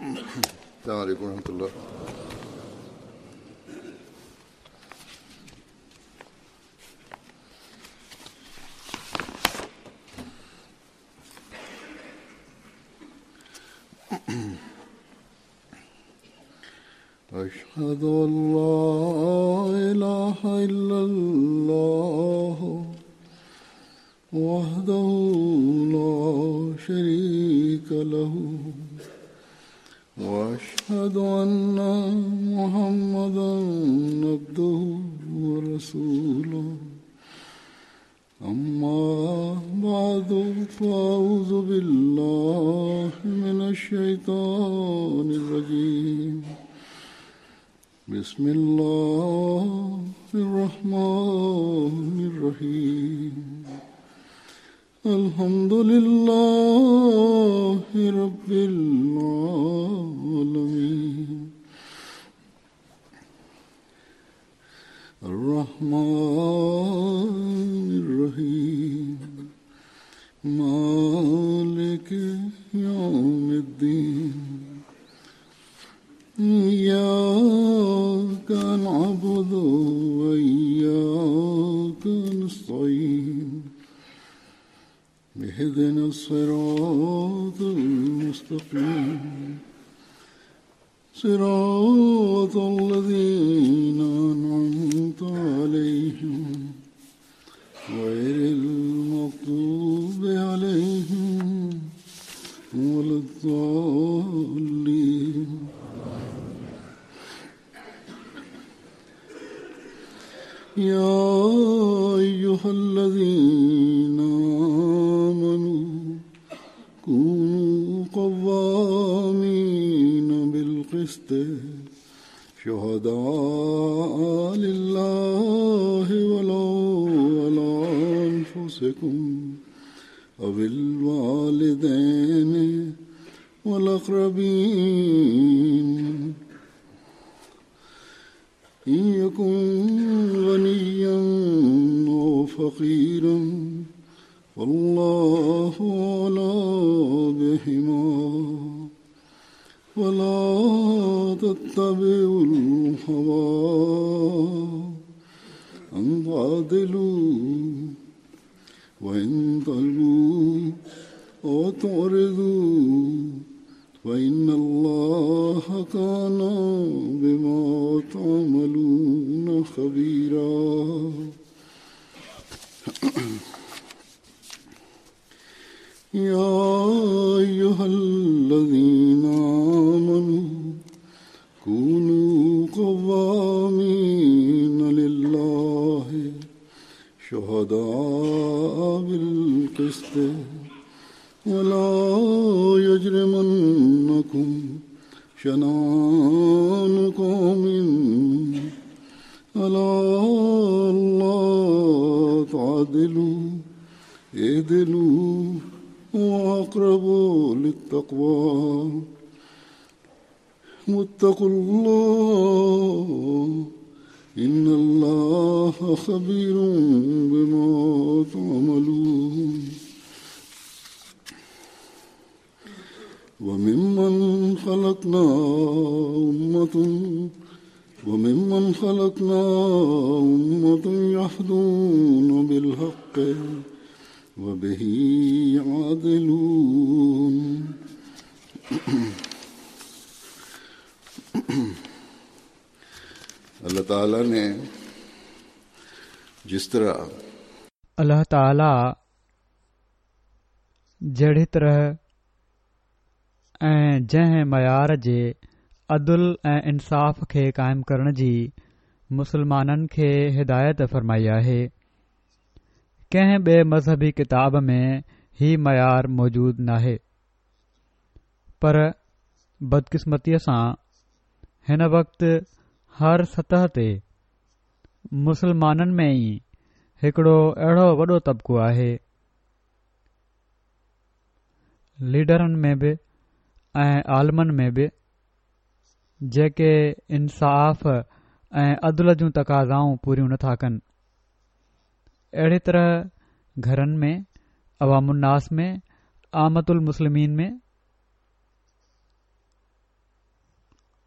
السلام عليڪم ورحمة الله. أشهد أن لا إله إلا الله وحده لا شريك له وأشهد أن محمدا عبده ورسوله أما بعد فأعوذ بالله من الشيطان الرجيم بسم الله الرحمن الرحيم الحمد لله رب العالمين الرحمن الرحيم مالك يوم الدين إياك نعبد وإياك نستعين اهدنا الصراط المستقيم صراط الذين أنعمت عليهم غير المغضوب عليهم ولا الضالين. يا أيها الذين آمنوا كونوا قوامين بالقسط شهداء لله ولو على أنفسكم أو الوالدين والأقربين إن يكن غنيا أو فقيرا فالله أولى بهما ولا تتبعوا الهوى أن تعدلوا وإن تلووا أو تعرضوا فإن الله كان بما تعملون خبيرا. يا أيها الذين آمنوا كونوا قوامين لله شهداء بالقسط ولا يجرمنكم شنآن قوم على ألا تعدلوا اعدلوا هو أقرب للتقوى واتقوا الله إن الله خبير بما تعملون. وممن خلقنا أمة يهدون بالحق وبه يعدلون. اللہ تعالیٰ نے جس طرح الله تعاليٰ جهڙي طرح ۽ جنهن معيار جي عدل ۽ انصاف کي قائم ڪرڻ جي مسلمانن کي هدايت فرمائي آهي، ڪنهن ٻئي مذهبي ڪتاب ۾ هي معيار موجود ناهي. پر بدقسمتيء سان هن وقت هر سطح تي مسلمانن ۾ ئي هڪڙو اهڙو وڏو طبقو آهي، ليڊرن ۾ به ۽ عالمن ۾ به، جيڪي انصاف ۽ عدل جون تقاضائون پوريون نٿا ڪن. اهڙي طرح گهرن ۾، عوام الناس ۾، عامة المسلمين ۾.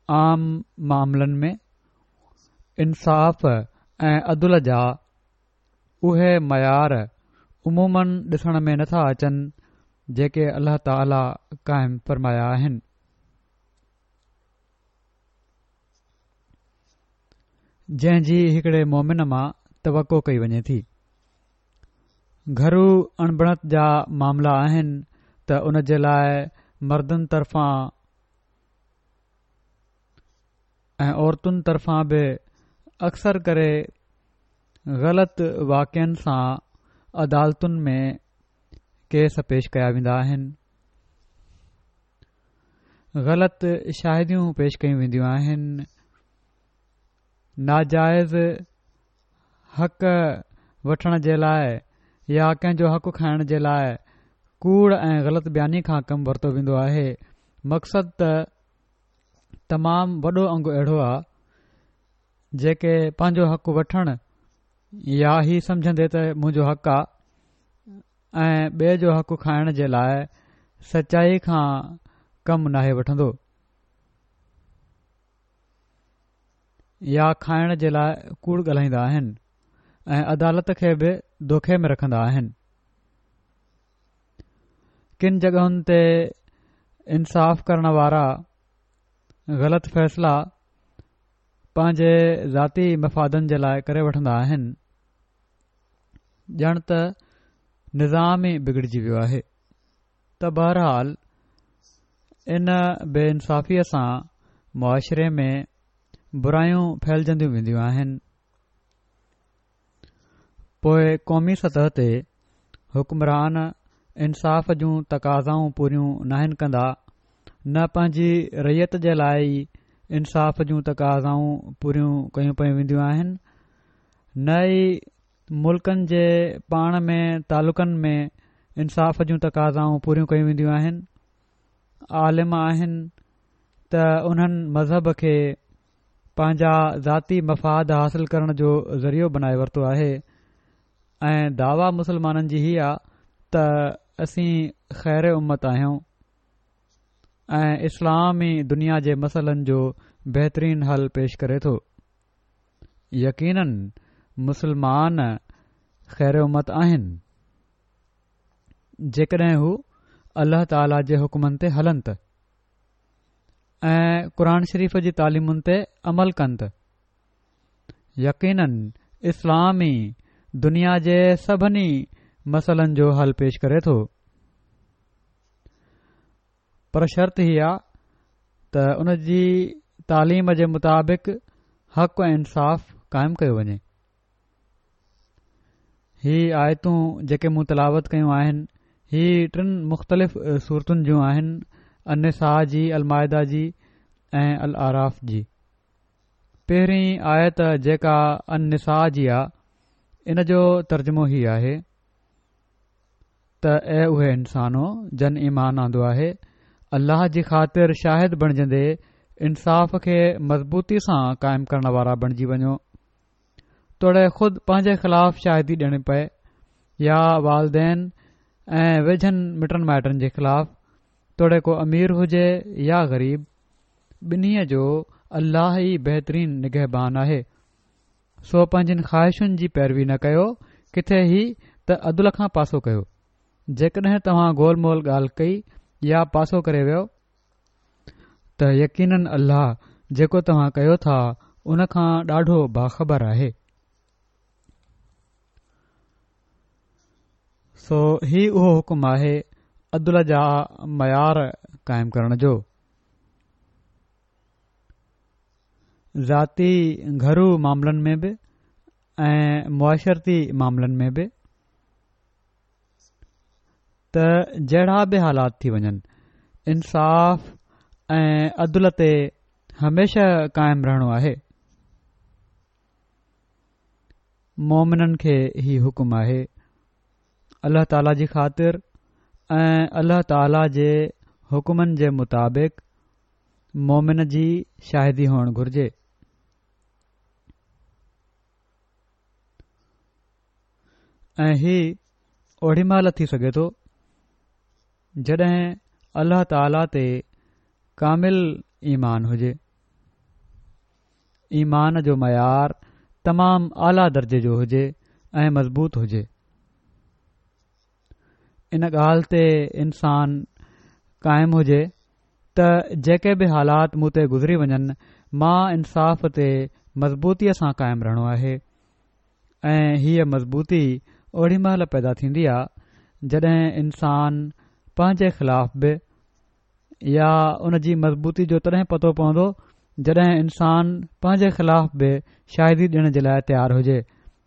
عام معاملن ۾ انصاف ۽ عدل جا اهي معيار عموماً ڏسڻ ۾ نٿا اچن جيڪي الله تعاليٰ قائم فرمايا آهن. جنهن جي هڪڙي مؤمن مان توقع ڪئي وڃي ٿي. گهرو اڻبڻت جا معاملا آهن ته ان جي لاء مردن طرفان ۽ عورتن طرفان به اڪثر ڪري غلط واقعن سان عدالتن ۾ ڪيس پيش ڪيا ويندا آهن غلط شاهديون پيش ڪيون وينديون آهن ناجائز حق وٺڻ جي لاء يا ڪنهن جو حق کائڻ جي لاء ڪوڙ ۽ غلط بياني کان ڪم ورتو ويندو آهي مقصد ته تمام وڏو انگ اهڙو آ جيڪي پنهنجو حق وٺڻ يا هي سمجهندي ته منهنجو حق آ ۽ ٻئي جو حق کائڻ جي لاء سچائي کان ڪم ناهي وٺندو يا کائڻ جي لاء ڪوڙ ڳالهائيندا آهن ۽ عدالت کي به دوکي ۾ رکندا آهن. ڪن جڳهن تي انصاف ڪرڻ وارا غلط فيصلا پنهنجي ذاتي مفادن جي لاء ڪري وٺندا آهن ڄڻ ته نظام ئي بگڙجي ويو آهي. ته بهرحال ان بي انصافيء سان معاشري ۾ برايون ڦهلجنديون وينديون آهن. پوء قومي سطح تي حڪمران انصاف جون تقاضائون پوريون ناهن ڪندا، نه پنهنجي رعيت جي لاء ئي انصاف جون تقاضائون پوريون ڪيون پيون وينديون آهن، نه ئي ملڪن جي پاڻ ۾ تعلقن ۾ انصاف جون تقاضائون پوريون ڪيون وينديون آهن. عالم آهن ته انهن مذهب کي پنهنجا ذاتي مفاد حاصل ڪرڻ جو ذريعو بنائي ورتو آهي ۽ دعويٰ مسلمانن جي هي آ ته اسين خير امت آهيون ۽ اسلام ئي دنيا جي مسئلن جو بهترين حل پيش ڪري ٿو. يقيناً مسلمان خير امت آهن جيڪڏهن هو الله تعاليٰ جي حڪمن تي هلن ته ۽ قرآن شريف جي تعليمن تي عمل ڪن ته يقيناً اسلام ئي دنيا جي سڀني مسئلن جو حل پيش ڪري ٿو پر شرط هي آ ته ان جي تعليم جي مطابق حق ۽ انصاف قائم ڪيو وڃي. هي آيتون جيڪي مون تلاوت ڪيون آهن هي ٽن مختلف سورتن جون آهن النساء جي، المائده جي ۽ الاعراف جي. پهرين آيت جيڪا النساء جي آ ان جو ترجمو هي آهي. ته اي اهي انسانو جن ايمان آندو آهي الله جي خاطر شاهد بڻجندي انصاف کي مضبوطي سان قائم ڪرڻ وارا بڻجي وڃو توڙي خود پنهنجي خلاف شاهدي ڏيڻي پئي يا والدين ۽ ويجهن مٽن مائٽن جي خلاف توڙي ڪو امير هجي يا غريب ٻنهي جو الله ئي بهترين نگهبان آهي سو پنهنجين خواهشن جي پيروي نه ڪيو، ڪٿي هي ته عدل کان پاسو ڪيو. جيڪڏهن توهان گول مول ڳالهه ڪئي يا پاسو ڪري ويؤ، ته يقيناً الله جيڪو توهان ڪيو ٿا ان کان ڏاڍو باخبر آهي. سو هي اهو حڪم آهي عدل جا معيار قائم ڪرڻ جو. ذاتي گهرو معاملن ۾ به ۽ معاشرتي معاملن ۾ به ته جهڙا به حالات ٿي وڃن انصاف ۽ عدل تي هميشه قائم رهڻو آهي مومنن کي هي حڪم آهي الله تعالي جي خاطر ۽ الله تعالي جي حڪمن جي مطابق مومن جي شاهدي هئڻ گهرجي. ۽ هي اوڏي مهل ٿي سگهي ٿو جڏهن الله تعالي تي ڪامل ايمان هجي. ايمان جو معيار تمام اعليٰ درجي جو هجي ۽ مضبوط هجي. ان ڳالهه تي انسان قائم هجي ته جيڪي به حالات مون تي گذري وڃن مان انصاف تي مضبوطيء سان قائم رهڻو آهي ۽ هيء مضبوطي اوڏي مهل پيدا ٿيندي آ جڏهن انسان پنهنجي خلاف به يا ان جي مضبوطي جو تڏهن پتو پوندو جڏهن انسان پنهنجي خلاف به شاهدي ڏيڻ جي لاء تيار هجي،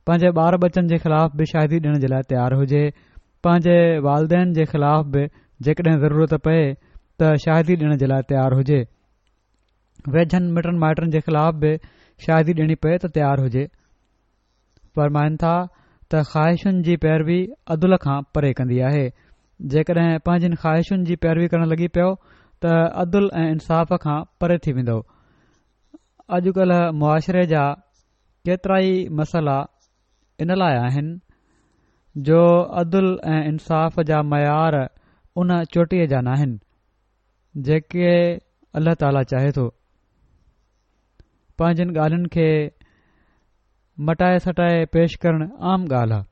پنهنجي ٻار ٻچن جي خلاف به شاهدي ڏيڻ جي لاء تيار هجي، پنهنجي والدين جي خلاف به جيڪڏهن ضرورت پئي ته شاهدي ڏيڻ جي لاء تيار هجي، ويجهن مٽن مائٽن جي خلاف به شاهدي ڏيڻي پئي ته تيار هجي. فرمائن ٿا ته خواهشن جي پيروي عدل کان پري ڪندي آهي. جيڪڏهن پنهنجين خواهشن جي پيروي ڪرڻ لڳي پيو ته عدل ۽ انصاف کان پري ٿي ويندؤ. اڄڪلهه معاشري جا ڪيترائي مسئلا ان لاء آهن جو عدل ۽ انصاف جا معيار ان چوٽيء جا ناهن جيڪي الله تعاليٰ چاهي ٿو. پنهنجين ڳالهين کي مٽائي سٽائي پيش ڪرڻ عام ڳالهه آهي.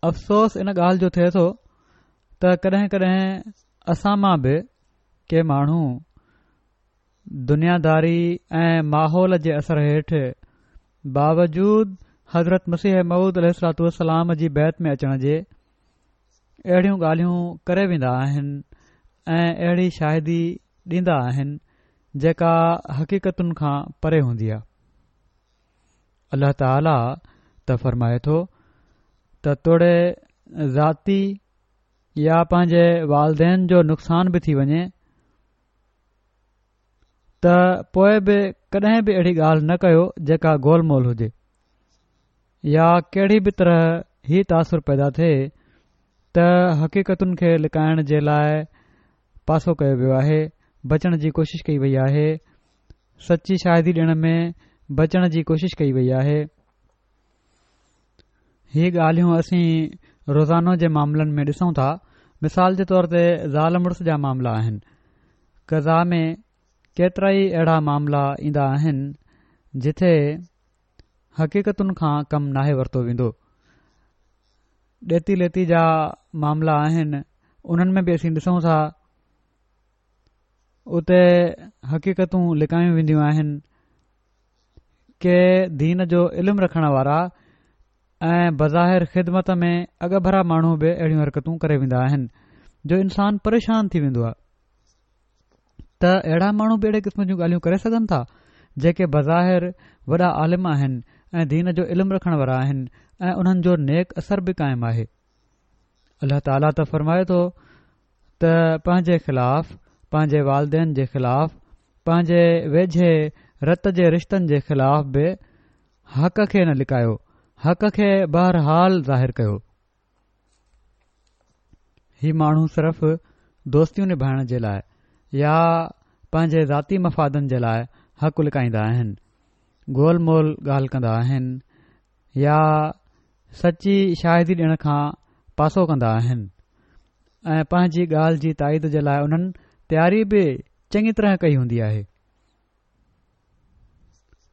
افسوس ان ڳالهه جو ٿئي ٿو ته ڪڏهن ڪڏهن اسان مان به ڪي ماڻهو دنياداري ۽ ماحول جي اثر هيٺ باوجود حضرت مسيح موعود عليه الصلوة والسلام جي بيعت ۾ اچڻ جي اهڙيون ڳالهيون ڪري ويندا آهن ۽ اهڙي شاهدي ڏيندا آهن جيڪا حقيقتن کان پري هوندي آهي. الله تعاليٰ ته فرمائي ٿو ته توڙي ذاتي يا پنهنجي والدين جو نقصان به ٿي وڃي ته پوء به ڪڏهن به اهڙي ڳالهه نه ڪيو جيڪا گول مول هجي يا ڪهڙي به طرح هي تاثر پيدا ٿئي ته حقيقتن کي لڪائڻ جي لاء پاسو ڪيو ويو آهي، بچڻ جي ڪوشش ڪئي وئي آهي، سچي شاهدي ڏيڻ ۾ بچڻ جي ڪوشش ڪئي وئي آهي. هي ڳالهيون اسين روزانو جي معاملن ۾ ڏسون ٿا. مثال جي طور تي زال مڙس جا معاملا آهن. قضا ۾ ڪيترائي اهڙا معاملا ايندا آهن جٿي حقيقتن کان ڪم ناهي ورتو ويندو. ڏيتي ليتي جا معاملا آهن انهن ۾ به اسين ڏسون ٿا اتي حقيقتون لڪايون وينديون آهن ڪي دين جو علم رکڻ وارا ۽ بظاهر خدمت ۾ اڳڀرا ماڻهو به اهڙيون حرڪتون ڪري ويندا آهن جو انسان پريشان ٿي ويندو آهي ته اهڙا ماڻهو به اهڙي قسم جون ڳالهيون ڪري سگهن ٿا جيڪي بظاهر وڏا عالم آهن ۽ دين جو علم رکڻ وارا آهن ۽ انهن جو نيڪ اثر به قائم آهي الله تعاليٰ ته فرمائي ٿو ته پنهنجي خلاف پنهنجي والدين جي خلاف پنهنجي ويجهي رت جي رشتن جي خلاف به حق کي نه لڪايو حق کي بهرحال ظاهر ڪيو هي ماڻهو صرف دوستيون نڀائڻ جي لاء يا پنهنجي ذاتي مفادن جي لاء حق لڪائيندا آهن، گول مول ڳالهه ڪندا آهن يا سچي شاهدي ڏيڻ کان پاسو ڪندا آهن ۽ پنهنجي ڳالهه جي تائيد جي لاء انهن تياري به چڱي طرح ڪئي هوندي آهي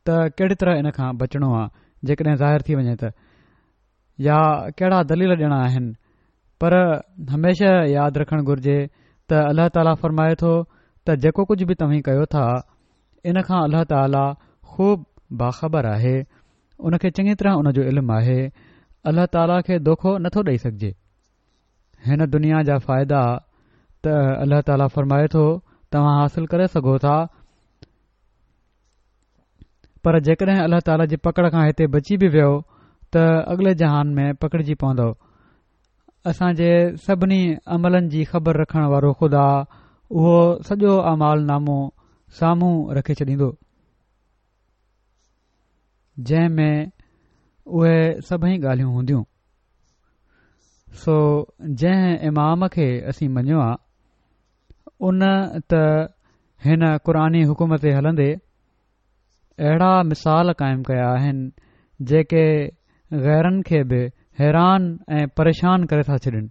ته ڪهڙي طرح ان کان بچڻو آهي جيڪڏهن ظاهر ٿي وڃي ته يا ڪهڙا دليل ڏيڻا آهن پر هميشه ياد رکڻ گهرجي ته الله تعاليٰ فرمائي ٿو ته جيڪو ڪجهه به توهين ڪيو ٿا ان کان الله تعاليٰ خوب باخبر آهي ان کي چڱي طرح ان جو علم آهي الله تعاليٰ کي دوکو نٿو ڏئي سگهجي هن دنيا جا فائدا ته الله تعاليٰ فرمائي ٿو توهان حاصل ڪري سگهو ٿا پر جيڪڏهن الله تعاليٰ جي پڪڙ کان هتي بچي به ويو ته اڳلي جهان ۾ پڪڙجي پوندؤ. اسان جي سڀني عملن جي خبر رکڻ وارو خدا اهو سڄو اعمال نامو سامهون رکي ڇڏيندو، جنهن ۾ اهي سڀئي ڳالهيون هونديون. سو جنهن امام کي اسين مڃيو آ، ان ته هن قرآني حڪم تي هلندي اهڙا مثال قائم ڪيا آهن جيڪي غيرن کي به حيران ۽ پريشان ڪري ٿا ڇڏين.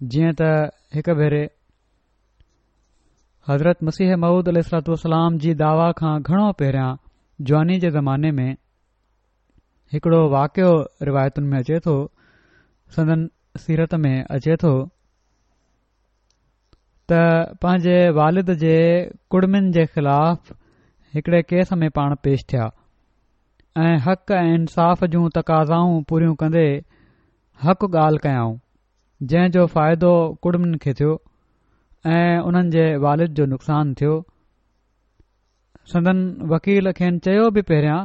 جيئن ته هڪ ڀيري حضرت مسيح موعود عليه الصلوة والسلام جي دعويٰ کان گهڻو پهريان جواني جي زماني ۾ هڪڙو واقعو روايتن ۾ اچي ٿو، سندن سيرت ۾ اچي ٿو ته پنهنجي والد جي ڪڙمين جي خلاف هڪڙي ڪيس ۾ پاڻ پيش ٿيا ۽ حق ۽ انصاف جون تقاضائون پوريون ڪندي حق ڳالهه ڪيائون، جنهن جو فائدو ڪڙمين کي ٿيو ۽ انهن جي والد جو نقصان ٿيو. سندن وڪيل کين چيو به پهريان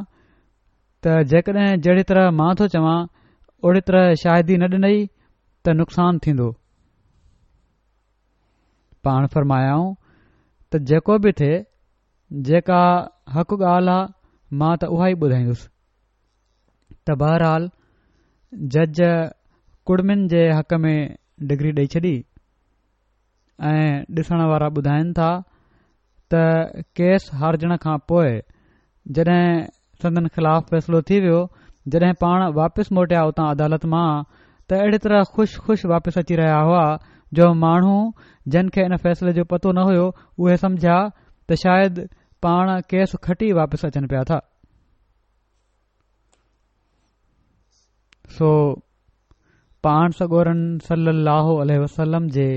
ته جيڪڏهن جهڙي طرح مان ٿو چوان اوڙي طرح شاهدي نه ڏنئي ته نقصان ٿيندو. پاڻ فرمايائون ته جيڪو به ٿئي جيڪا حق ڳالهه آ مان ته اها ئي ٻڌائيندس. ته بهرحال جج ڪڙمين جي حق ۾ ڊگري ڏئي ڇڏي. ۽ ڏسڻ وارا ٻڌائين ٿا ته ڪيس هارجڻ کان پوء جڏهن سندن خلاف فيصلو ٿي ويو جڏهن پاڻ واپس موٽيا اتان عدالت مان ته اهڙي طرح خوش خوش واپس اچي رهيا هئا جو ماڻهو جن کي ان فيصلي جو پتو نه هيو اهي سمجهيا ته شايد پاڻ ڪيس کٽي واپس اچن پيا ٿا. سو پاڻ سڳورن صلّي اللّٰه عليه وسلّم جي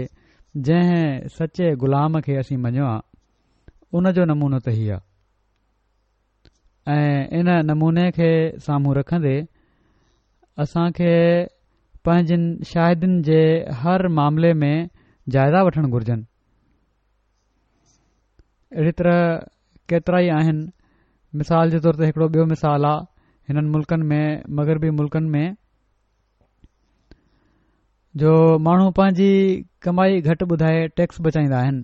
جنهن سچي غلام کي اسين مڃيو آ ان جو نمونو ته هي آ ۽ ان نموني کي سامهون رکندي اسان کي پنهنجن شاهدين جي هر معاملي ۾ جائزا وٺڻ گهرجن. اهڙي طرح ڪيترائي آهن مثال جي طور تي هڪڙو ٻيو مثال آ هنن ملڪن ۾ مغربي ملڪن ۾ جو ماڻهو پنهنجي ڪمائي گهٽ ٻڌائي ٽيڪس بچائيندا آهن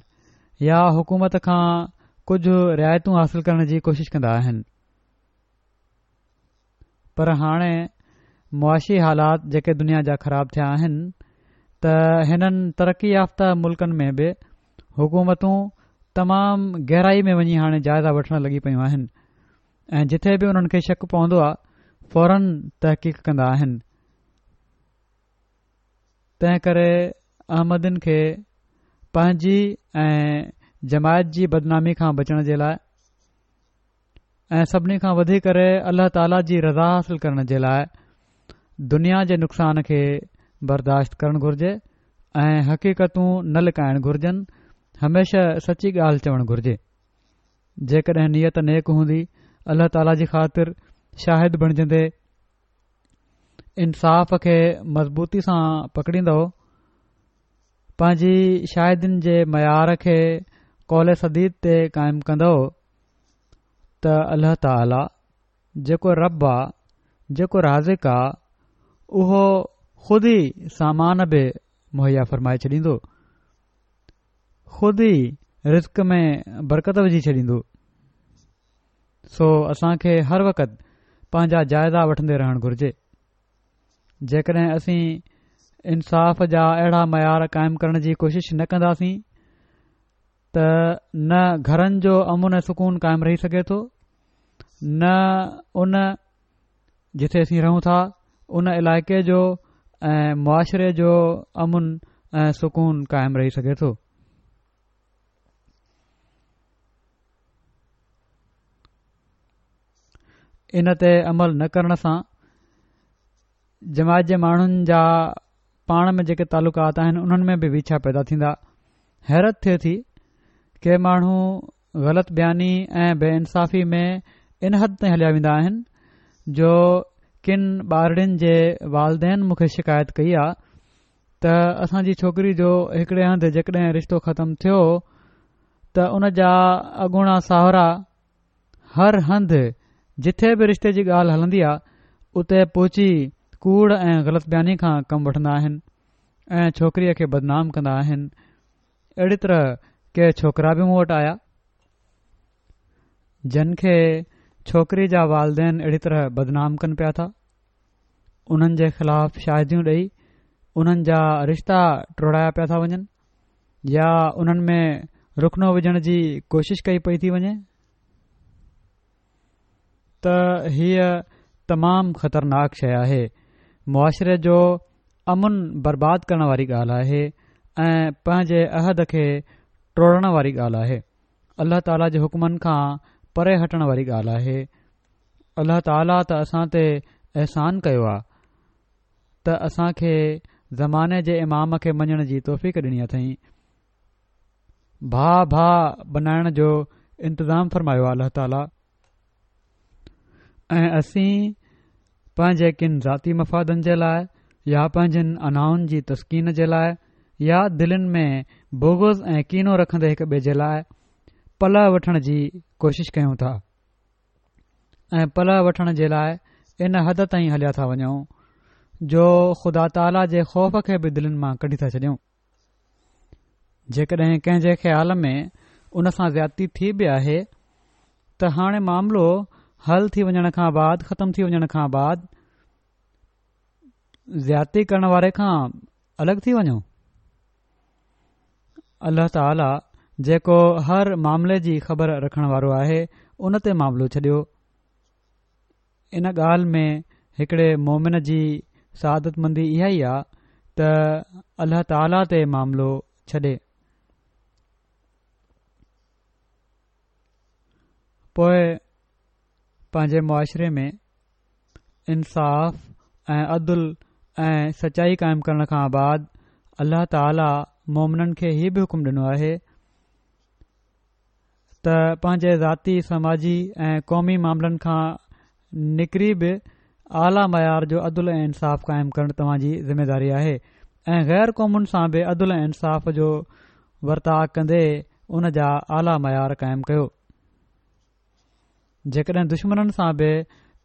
يا حڪومت کان ڪجهه رعايتون حاصل ڪرڻ جي ڪوشش ڪندا آهن پر هاڻي معاشي حالات جيڪي دنيا جا خراب ٿيا آهن ته هنن ترقي يافته ملڪن ۾ به حڪومتون تمام گهرائي ۾ وڃي هاڻي جائزا وٺڻ لڳي پيون آهن ۽ جٿي به انهن کي شڪ پوندو آهي فورن تحقيق ڪندا آهن تنهن ڪري احمدين کي پنهنجي ۽ جماعت جي بدنامي کان بچڻ جي لاء ۽ سڀني کان وڌي ڪري الله تعاليٰ جي رضا حاصل ڪرڻ جي لاء دنيا جي نقصان کي برداشت ڪرڻ گهرجي ۽ حقيقتون نه لڪائڻ گهرجن هميشه سچي ڳالهه چوڻ گهرجي جيڪڏهن نيت نيڪ هوندي الله تعاليٰ جي خاطر شاهد بڻجندي انصاف کي مضبوطي سان پڪڙيندو پنهنجي شاهدين جي معيار کي قول سديد تي قائم ڪندو ته الله تعاليٰ جيڪو رب آ، جيڪو رازق آ، اهو خود ئي سامان به مهيا فرمائي ڇڏيندو، خود ئي رزق ۾ برڪت وجهي ڇڏيندو. سو اسان کي هر وقت پنهنجا جائزا وٺندي رهڻ گهرجي. جيڪڏهن اسين انصاف جا اهڙا معيار قائم ڪرڻ جي ڪوشش نه ڪنداسين ته نه گهرن جو امن ۽ سڪون قائم رهي سگهي ٿو نه ان جتي اسين رهون ٿا ان علائقي جو ۽ معاشري جو امن ۽ سڪون قائم رهي سگهي ٿو. ان تي عمل نه ڪرڻ سان جماعت جي ماڻهن جا پاڻ ۾ جيڪي تعلقات آهن انهن ۾ به ويڇا پيدا ٿيندا. حيرت ٿئي ٿي ڪي ماڻهو غلط بياني ۽ بي انصافي ۾ ان حد تائين هليا ويندا آهن جو ڪن ٻارڙين جي والدين مون کي شڪايت ڪئي آ ته اسان جي ڇوڪري جو هڪڙي هنڌ جيڪڏهن رشتو ختم ٿيو ته ان جا اڳوڻا ساهرا هر هنڌ جٿي به رشتي جي ڳالهه هلندي آ اتي پهچي ڪوڙ ۽ غلط بياني کان ڪم وٺندا آهن ۽ ڇوڪريء کي بدنام ڪندا آهن. اهڙي طرح ڪي ڇوڪرا به مون وٽ آيا جن کي ڇوڪري جا والدين اهڙي طرح بدنام ڪن پيا ٿا انهن جي خلاف شاهديون ڏئي انهن جا رشتا ٽوڙايا پيا ٿا وڃن. يا انهن ۾ رخنو وجهڻ جي ڪوشش ڪئي پئي ٿي وڃي ته هيء تمام خطرناڪ شيء آهي معاشري جو امن برباد ڪرڻ واري ڳالهه آهي ۽ پنهنجي عهد کي ٽوڙڻ واري ڳالهه آهي. الله تعاليٰ جي حڪمن کان پري هٽڻ واري ڳالهه آهي. الله تعاليٰ ته اسان تي احسان ڪيو آهي ته اسان کي زماني جي امام کي مڃڻ جي توفيق ڏني اٿئين. ڀاء ڀاء بنائڻ جو انتظام فرمايو آهي الله تعاليٰ. ۽ اسين پنهنجي ڪن ذاتي مفادن جي لاء يا پنهنجين انائن جي تسڪين جي لاء يا دلين ۾ بغض ۽ ڪينو رکندي هڪ ٻئي جي لاء پلئه وٺڻ جي ڪوشش ڪيون ٿا ۽ پلئه وٺڻ جي لاء ان حد تائين هليا ٿا وڃون جو خدا تعاليٰ جي خوف کي به دلين مان ڪڍي ٿا ڇڏيون. جيڪڏهن ڪنهن جي خيال ۾ ان سان زيادتي ٿي به آهي ته هاڻي معاملو حل ٿي وڃڻ کان بعد ختم ٿي وڃڻ کان بعد زيادتي ڪرڻ واري کان الڳ ٿي وڃو. الله تعاليٰ جيڪو هر معاملي جي خبر رکڻ وارو آهي ان تي معاملو ڇڏيو. ان ڳالهه ۾ هڪڙي مومن جي سعادتمندي اها ئي آ ته الله تعاليٰ تي معاملو ڇڏي. پوء پنهنجي معاشري ۾ انصاف ۽ عدل ۽ سچائي قائم ڪرڻ کان بعد الله تعاليٰ مومنن کي هي به حڪم ڏنو آهي ته پنهنجي ذاتي، سماجي ۽ قومي معاملن کان نڪري به اعليٰ معيار جو عدل ۽ انصاف قائم ڪرڻ توهان جي ذميداري آهي ۽ غير قومن سان به عدل ۽ انصاف جو ورتاء ڪندي ان جا اعليٰ معيار قائم ڪيو. جيڪڏهن دشمنن سان به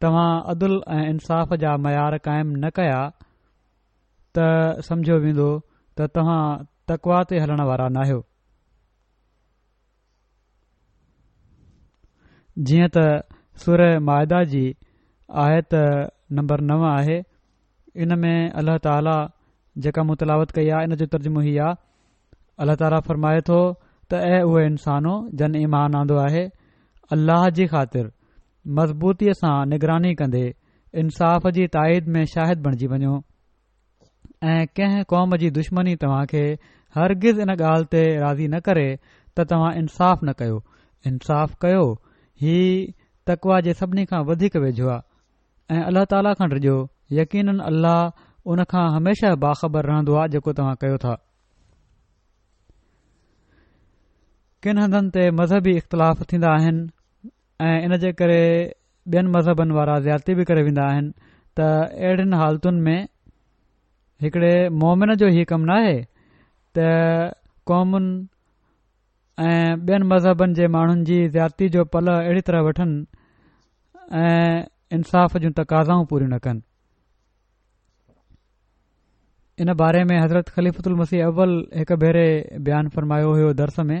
توهان عدل ۽ انصاف جا معيار قائم نه ڪيا ته سمجهيو ويندو ته توهان تقويٰ تي هلڻ وارا ناهيو. جيئن ته سوره مائده جي آيت نمبر 9 آهي ان ۾ الله تعاليٰ جيڪا مون تلاوت ڪئي آهي ان جو ترجمو هي آهي الله تعاليٰ فرمائي ٿو ته اي اهي انسانو جن ايمان آندو آهي الله جي خاطر مضبوطيء سان نگراني ڪندي انصاف جي تائيد ۾ شاهد بڻجي وڃو ۽ ڪنهن قوم جي دشمني توهان کي هرگز ان ڳالهه تي راضي نه ڪري ته توهان انصاف نه ڪيو، انصاف ڪيو، هي تقويٰ جي سڀني کان وڌيڪ ويجهو آهي ۽ الله تعاليٰ کان ڊڄو، يقيناً الله ان کان هميشه باخبر رهندو آهي جيڪو توهان ڪيو ٿا. ڪن هنڌن تي مذهبي اختلاف ٿيندا آهن ۽ ان جي ڪري ٻين مذهبن وارا زيادتي به ڪري ويندا آهن ته اهڙين حالتن ۾ هڪڙي مومن جو هي ڪم ناهي ته قومن ۽ ٻين مذهبن جي ماڻهن جي زيادتي جو پلئه اهڙي طرح وٺن ۽ انصاف جون تقاضائون پوريون نه ڪن. ان باري ۾ حضرت خليفة المسيح اول هڪ ڀيري بيان فرمايو هيو درس ۾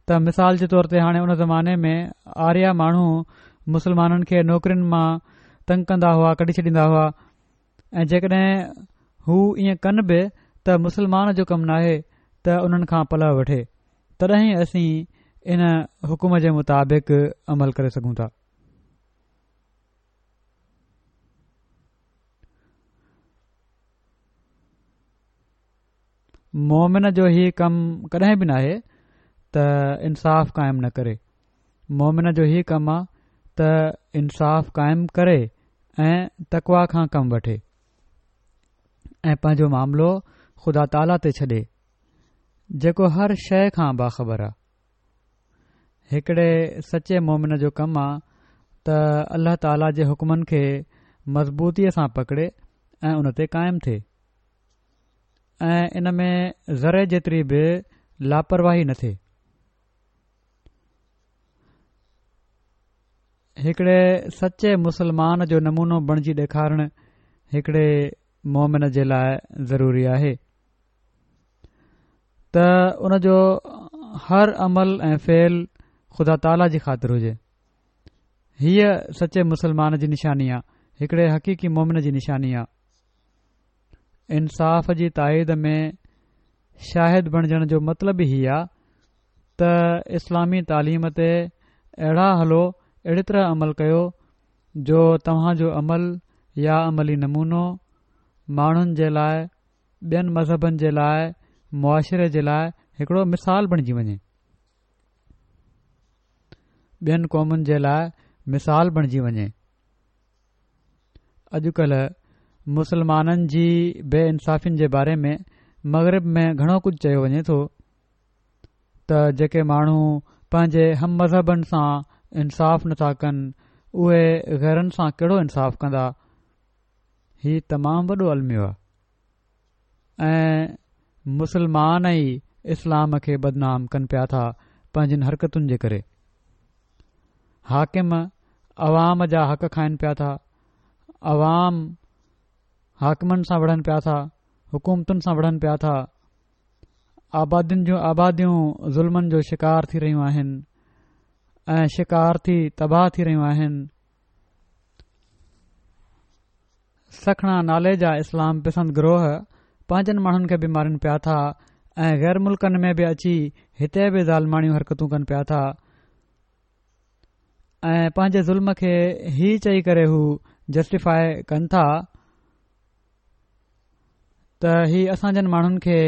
ته مثال جي طور تي هاڻي ان زماني ۾ آريا ماڻهو مسلمانن کي نوڪرين مان تنگ ڪندا هئا ڪڍي ڇڏيندا هئا ۽ جيڪڏهن هو ائين ڪن به ته مسلمان جو ڪم ناهي ته انهن کان پلئه وٺي تڏهن اسين ان حڪم جي مطابق عمل ڪري سگهون ٿا. مومن جو هي ڪم ڪڏهن به ناهي ته انصاف قائم نه ڪري مومن جو هي ڪم آ ته انصاف قائم ڪري ۽ تقوا کان ڪم وٺي ۽ پنهنجو معاملو خدا تعاليٰ تي ڇڏي جيڪو هر شيء کان باخبر آ. هڪڙي سچي مومن جو ڪم آ ته الله تعاليٰ جي حڪمن کي مضبوطيء سان پڪڙي ۽ ان تي قائم ٿئي ۽ ان ۾ ذري جيتري به لاپرواهي نه ٿئي. هڪڙي سچي مسلمان جو نمونو بڻجي ڏيکارڻ هڪڙي مومن جي لاء ضروري آهي. ته ان جو هر عمل ۽ فعل خدا تعاليٰ جي خاطر هجي. هيء سچي مسلمان جي نشاني آ، هڪڙي حقيقي مومن جي نشاني آ. انصاف جي تائيد ۾ شاهد بڻجڻ جو مطلب ئي هي آ ته اسلامي تعليم تي اهڙا هلو، اهڙي طرح عمل ڪيو جو توهان جو عمل يا عملي نمونو ماڻهن جي لاء ٻين مذهبن جي لاء معاشري جي لاء هڪڙو مثال بڻجي وڃي. ٻين قومن جي لاء مثال بڻجي وڃي. اڄڪلهه مسلمانن جي بي انصافين جي باري ۾ مغرب ۾ گهڻو ڪجهه چيو وڃي ٿو ته جيڪي ماڻهو پنهنجي هم مذهبن سان انصاف نٿا ڪن اهي غيرن سان ڪهڙو انصاف ڪندا. هي تمام وڏو الميو آهي ۽ مسلمان ئي اسلام کي بدنام ڪن پيا ٿا پنهنجين حرڪتن جي ڪري. حاڪم عوام جا حق کائن پيا ٿا، عوام حاڪمن سان وڙهن پيا ٿا، حڪومتن سان وڙهن پيا ٿا، آبادين جون آباديون ظلمن جو شڪار ٿي رهيون آهن ۽ شڪار ٿي تباهه ٿي رهيون آهن. سکڻا نالي جا اسلام پسند گروهه پنهنجن ماڻهن کي به مارين پيا ٿا ۽ غير ملڪن ۾ به اچي هتي به ظالماڻيون حرڪتون ڪن پيا ٿا ۽ پنهنجي ظلم کي هي چئي ڪري هو جسٽيفاء ڪن ٿا ته هي اسان جن ماڻهن کي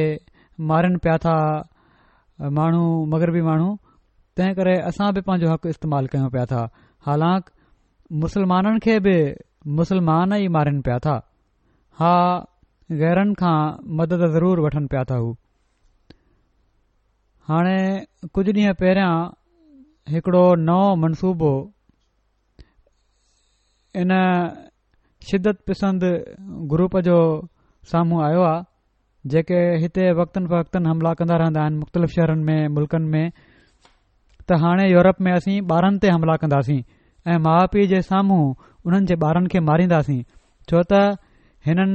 مارين پيا ٿا ماڻهو مغربي ماڻهو تنهن ڪري اسان به پنهنجو حق استعمال ڪيون پيا ٿا حالانڪ مسلمانن کي به مسلمان ئي مارين پيا ٿا ها غيرن کان مدد ضرور وٺن پيا ٿا هو هاڻي ڪجهه ڏينهن پهريان هڪڙو نئون منصوبو ان شدت پسند گروپ جو سامهون آيو آهي جيڪي هتي وقتن فوقتن حملا ڪندا رهندا آهن مختلف شهرن ۾ ملڪن ۾ ته هاڻي يورپ ۾ اسين ٻارن تي حملا ڪنداسين ۽ ماء پيء جي سامهون انهن جي ٻارن کي مارينداسين ڇو ته هنن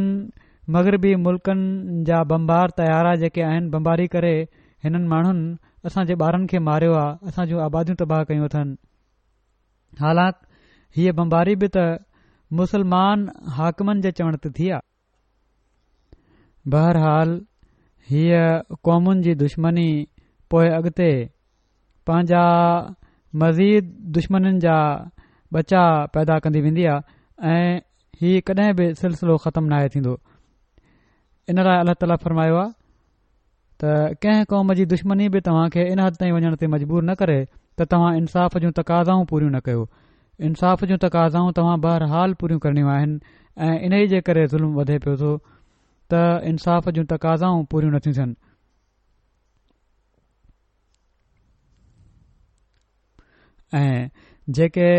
مغربي ملڪن جا بمبار طيارا جيڪي آهن بمباري ڪري هنن ماڻهن اسان جي ٻارن کي ماريو آهي اسان جون آباديون تباهه ڪيون اٿن حالانڪ هيء بمباري به ته مسلمان حاڪمن جي چوڻ تي ٿي آ. بهرحال هيء قومن جي دشمني پوء اڳتي پنهنجا مزيد دشمنين جا ٻچا پيدا ڪندي ويندي آ ۽ هي ڪڏهن به سلسلو ختم ناهي ٿيندو. ان لاء الله تعاليٰ فرمايو آ. ته ڪنهن قوم جي دشمني به توهان کي ان حد تائين وڃڻ تي مجبور نه ڪري ته توهان انصاف جون تقاضائون پوريون نه ڪيو. انصاف جون تقاضائون توهان بهرحال پوريون ڪرڻيون آهن ۽ انهي جي ڪري ظلم وڌي پيو ٿو ته انصاف جون تقاضائون پوريون نٿيون ٿين. ۽ جيڪي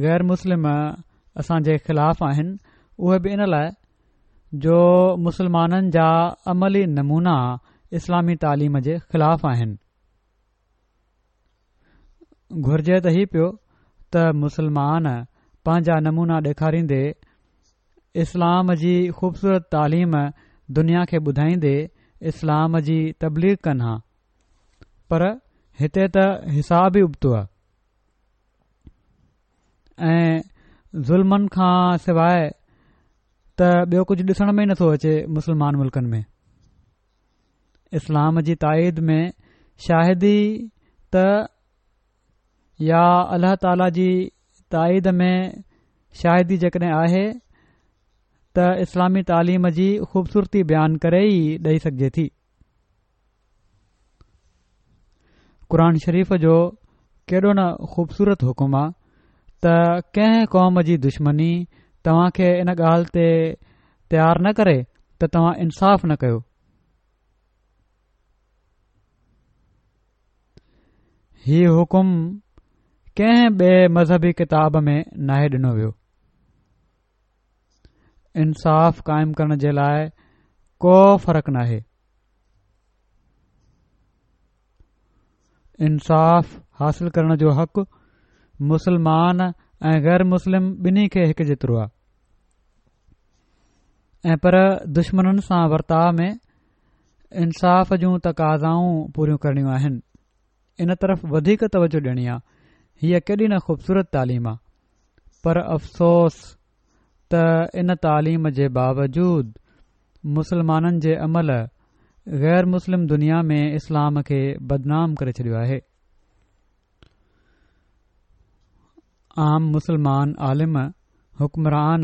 غير مسلم اسان جي خلاف آهن اهي به ان لاء جو مسلمانن جا عملي نمونا اسلامي تعليم جي خلاف آهن. گهرجي ته هي پيو ته مسلمان پنهنجا نمونا ڏيکاريندي اسلام جي خوبصورت تعليم دنيا کي ٻڌائيندي اسلام جي تبليغ ڪن ها پر هتي ته حساب ئي ابتو آهي ۽ ظلمن کان سواء ته ٻيو ڪجهه ڏسڻ ۾ ئي نٿو اچي مسلمان ملڪن ۾ اسلام جي تائيد ۾ شاهدي ته يا الله تعالي جي تائيد ۾ شاهدي جيڪڏهن آهي ته اسلامي تعليم جي خوبصورتي بيان ڪري ئي ڏئي سگهجي ٿي قرآن شريف جو ڪيڏو نه خوبصورت حڪم آ ته ڪنهن قوم جي دشمني توهان کي ان ڳالهه تي تيار نه ڪري ته توهان انصاف نه ڪيو. هي حڪم ڪنهن ٻئي مذهبي ڪتاب ۾ ناهي ڏنو ويو. انصاف قائم ڪرڻ جي لاء ڪو فرق ناهي. انصاف حاصل ڪرڻ جو حق مسلمان ۽ غير مسلم ٻنهي کي هڪ جيترو آهي ۽ پر دشمنن سان ورتاء ۾ انصاف جون تقاضائون پوريون ڪرڻيون آهن ان طرف وڌيڪ توجه ڏيڻي آهي هيء ڪيڏي نه خوبصورت تعليم آهي پر افسوس ته ان تعليم جي باوجود مسلمانن جي عمل غير مسلم دنيا ۾ اسلام کي بدنام ڪري ڇڏيو آهي. عام مسلمان عالم، حڪمران،